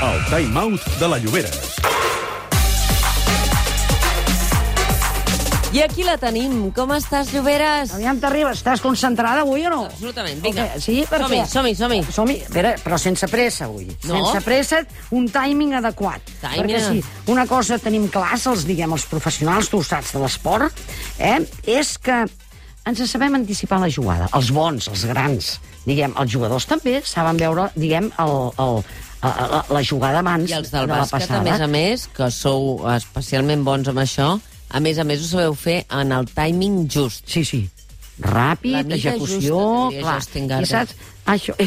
El Time Out de la Llobera. I aquí la tenim. Com estàs, Lloberes? Aviam, t'arribes. Estàs concentrada avui o no? Absolutament, vinga. Okay. Sí, perquè... Som-hi. Som-hi. Però sense pressa, avui. No. Sense pressa, un timing adequat. Timing. Perquè si una cosa tenim clars, els professionals, tu ho saps, de l'esport, és que ens sabem anticipar la jugada. Els bons, els grans, els jugadors també saben veure, la jugada abans I els del de la bàsquet, passada. a més, que sou especialment bons amb això, a més, ho sabeu fer en el timing just. Sí. Ràpid, La mida execució... justa, diria clar. Justin I Garber.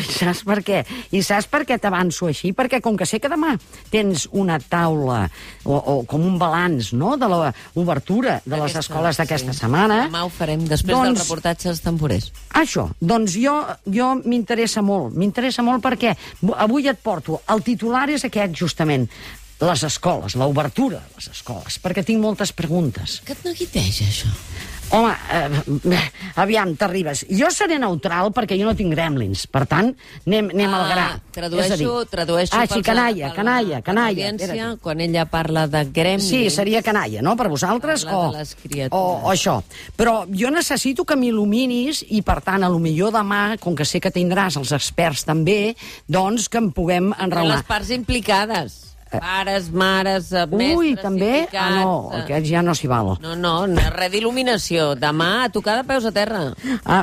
saps per què? I saps per què t'avanço així? Perquè com que sé que demà tens una taula o com un balanç, no?, de l'obertura de les escoles d'aquesta setmana... Demà ho farem, després del reportatge dels temporers. Això, doncs jo m'interessa molt perquè avui et porto... El titular és aquest, justament, les escoles, l'obertura de les escoles, perquè tinc moltes preguntes. Què et neguiteja, això? Home, aviam, t'arribes. Jo seré neutral perquè jo no tinc gremlins. Per tant, anem al gra. Tradueixo sí, canalla. L'audiència, quan ella parla de gremlins... Sí, seria canalla, no?, per vosaltres? Parla de les criatures. O això. Però jo necessito que m'il·luminis i, per tant, a lo millor demà, com que sé que tindràs els experts també, doncs que en puguem enraonar. Les parts implicades. Pares, mares, mestres, Ui, també? sindicats... No, aquest ja no s'hi val. No, res d'il·luminació. Demà, a tocar de peus a terra.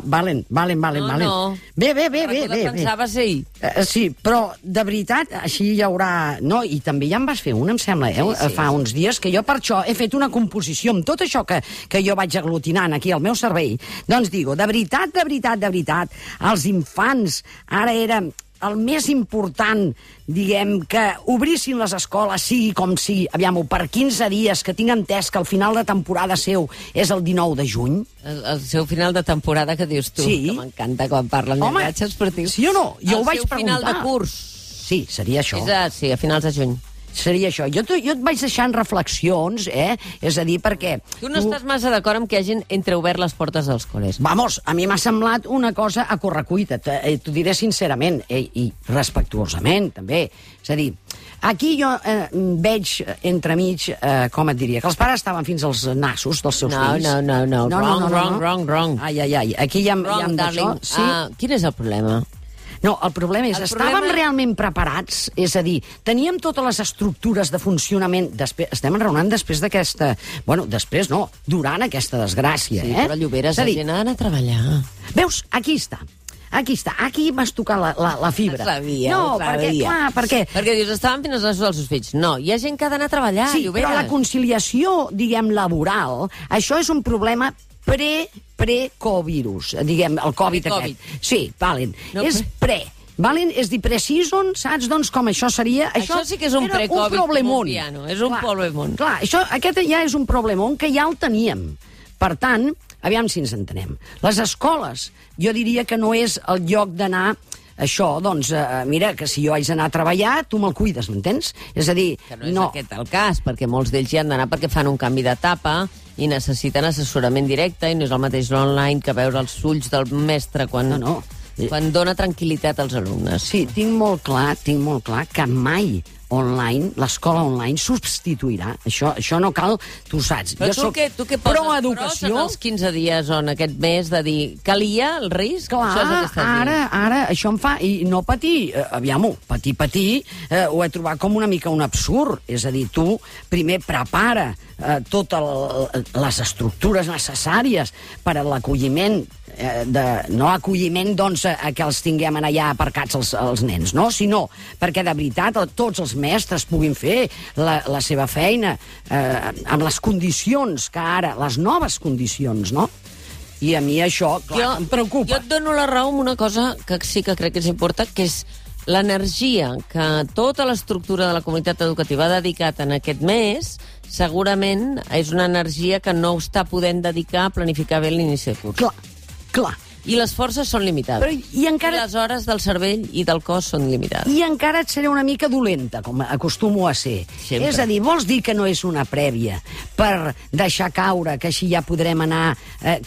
Valen. No. Bé. Pensava ser ahir. Sí, però de veritat, així hi haurà... No, i també ja em vas fer una, em sembla, fa uns dies, que jo per això he fet una composició amb tot això que jo vaig aglutinant aquí al meu cervell. Doncs digo, de veritat, els infants ara era el més important, que obrissin les escoles, sigui com sigui, aviam-ho, per 15 dies, que tinc entès que el final de temporada seu és el 19 de juny. El seu final de temporada, que dius tu, que m'encanta quan parlen de viatge esportiu. Sí o no? Jo ho vaig preguntar. El seu final de curs. Sí, seria això. Sí, a finals de juny. Seria això. Jo et vaig deixant reflexions, És a dir, perquè... Tu no estàs massa d'acord amb que hagin entreobert les portes dels col·les. Vamos, a mi m'ha semblat una cosa a correcuita, t'ho diré sincerament, i respectuosament, també. És a dir, aquí jo veig entremig, com et diria, que els pares estaven fins als nassos dels seus fills. No. Wrong. Ai, aquí hi ha d'això. Sí? Quin és el problema? No, el problema és, estàvem realment preparats? És a dir, teníem totes les estructures de funcionament... Estem enraonant després d'aquesta... Bueno, després no, durant aquesta desgràcia, Sí, però Lloberes, la gent ha d'anar a treballar. Veus? Aquí està. Aquí m'has tocat la fibra. Perquè dius, estaven fins als nassos dels seus fills. No, hi ha gent que ha d'anar a treballar, sí, Lloberes. Però la conciliació, laboral, això és un problema pre-covirus, el Covid aquest. Sí, valen. És pre. Valen? És dir, pre-season, saps? Doncs com això seria... Això sí que és un pre-Covid colombiano. És un problemón. Clar, aquest ja és un problemón que ja el teníem. Per tant, aviam si ens entenem. Les escoles, jo diria que no és el lloc d'anar... Això, doncs, mira, que si jo haig d'anar a treballar, tu me'l cuides, m'entens? És a dir, que no és aquest el cas, perquè molts d'ells hi han d'anar perquè fan un canvi d'etapa i necessiten assessorament directe, i no és el mateix l'online que veure els ulls del mestre quan dona tranquil·litat als alumnes. Sí, tinc molt clar que mai l'escola online substituirà. Això no cal, tu saps. Però tu què poses pros en els 15 dies o en aquest mes de dir calia el risc? Clar, ara això em fa... I no patir, aviam-ho, patir, ho he trobat com una mica un absurd. És a dir, tu primer prepara totes les estructures necessàries per a l'acolliment no acolliment, doncs, que els tinguem allà aparcats els nens, no? Sinó perquè, de veritat, tots els mestres puguin fer la seva feina amb les condicions que ara, les noves condicions, no? I a mi això, clar, em preocupa. Jo et dono la raó amb una cosa que sí que crec que és important, que és l'energia que tota l'estructura de la comunitat educativa ha dedicat en aquest mes. Segurament és una energia que no està podent dedicar a planificar bé l'inici de curs. Clar. I les forces són limitades. Però, i encara... I les hores del cervell i del cos són limitades. I encara et seré una mica dolenta, com acostumo a ser. Sempre. És a dir, vols dir que no és una prèvia per deixar caure, que així ja podrem anar...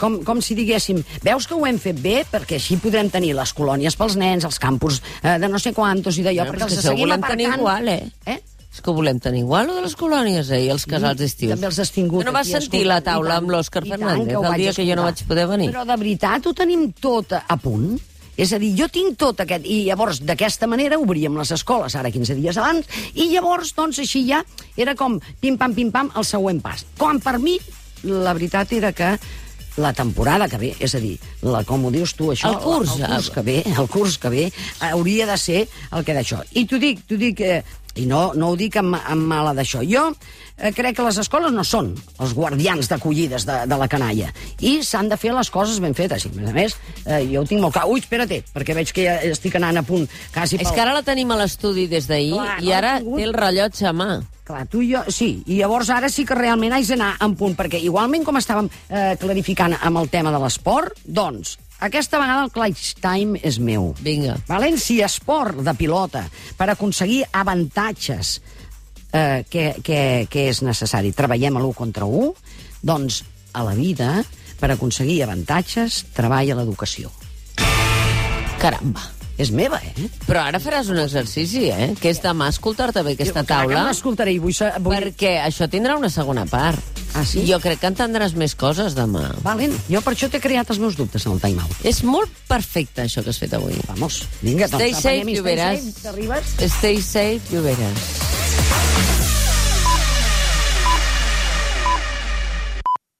com si diguéssim, veus que ho hem fet bé, perquè així podrem tenir les colònies pels nens, els campus de no sé quantos i d'allò, perquè els seguim aparcant... Tenir igual, És que ho volem tenir igual, o de les colònies, i els casals estius. També els has tingut. Tu no vas sentir la taula amb l'Òscar Fernández el dia que jo no vaig poder venir? Però de veritat ho tenim tot a punt? És a dir, jo tinc tot aquest... I llavors, d'aquesta manera, obríem les escoles, ara 15 dies abans, i llavors, doncs, així ja era com pim-pam, el següent pas. Com per mi, la veritat era que la temporada que ve, és a dir, com ho dius tu, això... El curs que ve hauria de ser el que d'això. I t'ho dic... I no ho dic amb mala d'això. Jo crec que les escoles no són els guardians d'acollides de la canalla. I s'han de fer les coses ben fetes. I, a més, jo ho tinc molt clar. Ui, espera't, perquè veig que ja estic anant a punt quasi pel... És que ara la tenim a l'estudi des d'ahir i ara té el rellotge a mà. Clar, tu i jo, sí. I llavors ara sí que realment haig d'anar en punt, perquè igualment com estàvem clarificant amb el tema de l'esport, doncs... Aquesta vegada el clutch time és meu. Vinga. València Esport de pilota per aconseguir avantatges que és necessari. Treballem a l'1 contra 1, doncs a la vida, per aconseguir avantatges, treballa l'educació. Caramba. És meva, Però ara faràs un exercici, que és demà escoltar-te bé aquesta taula. Clar que m'escoltaré i vull... Perquè això tindrà una segona part. Ah, sí? Jo crec que entendràs més coses demà. Valent. Jo per això t'he creat els meus dubtes en el time-out. És molt perfecte, això que has fet avui. Vamos, vinga, Stay safe, Lloberes. T'arribes? Stay safe, Lloberes.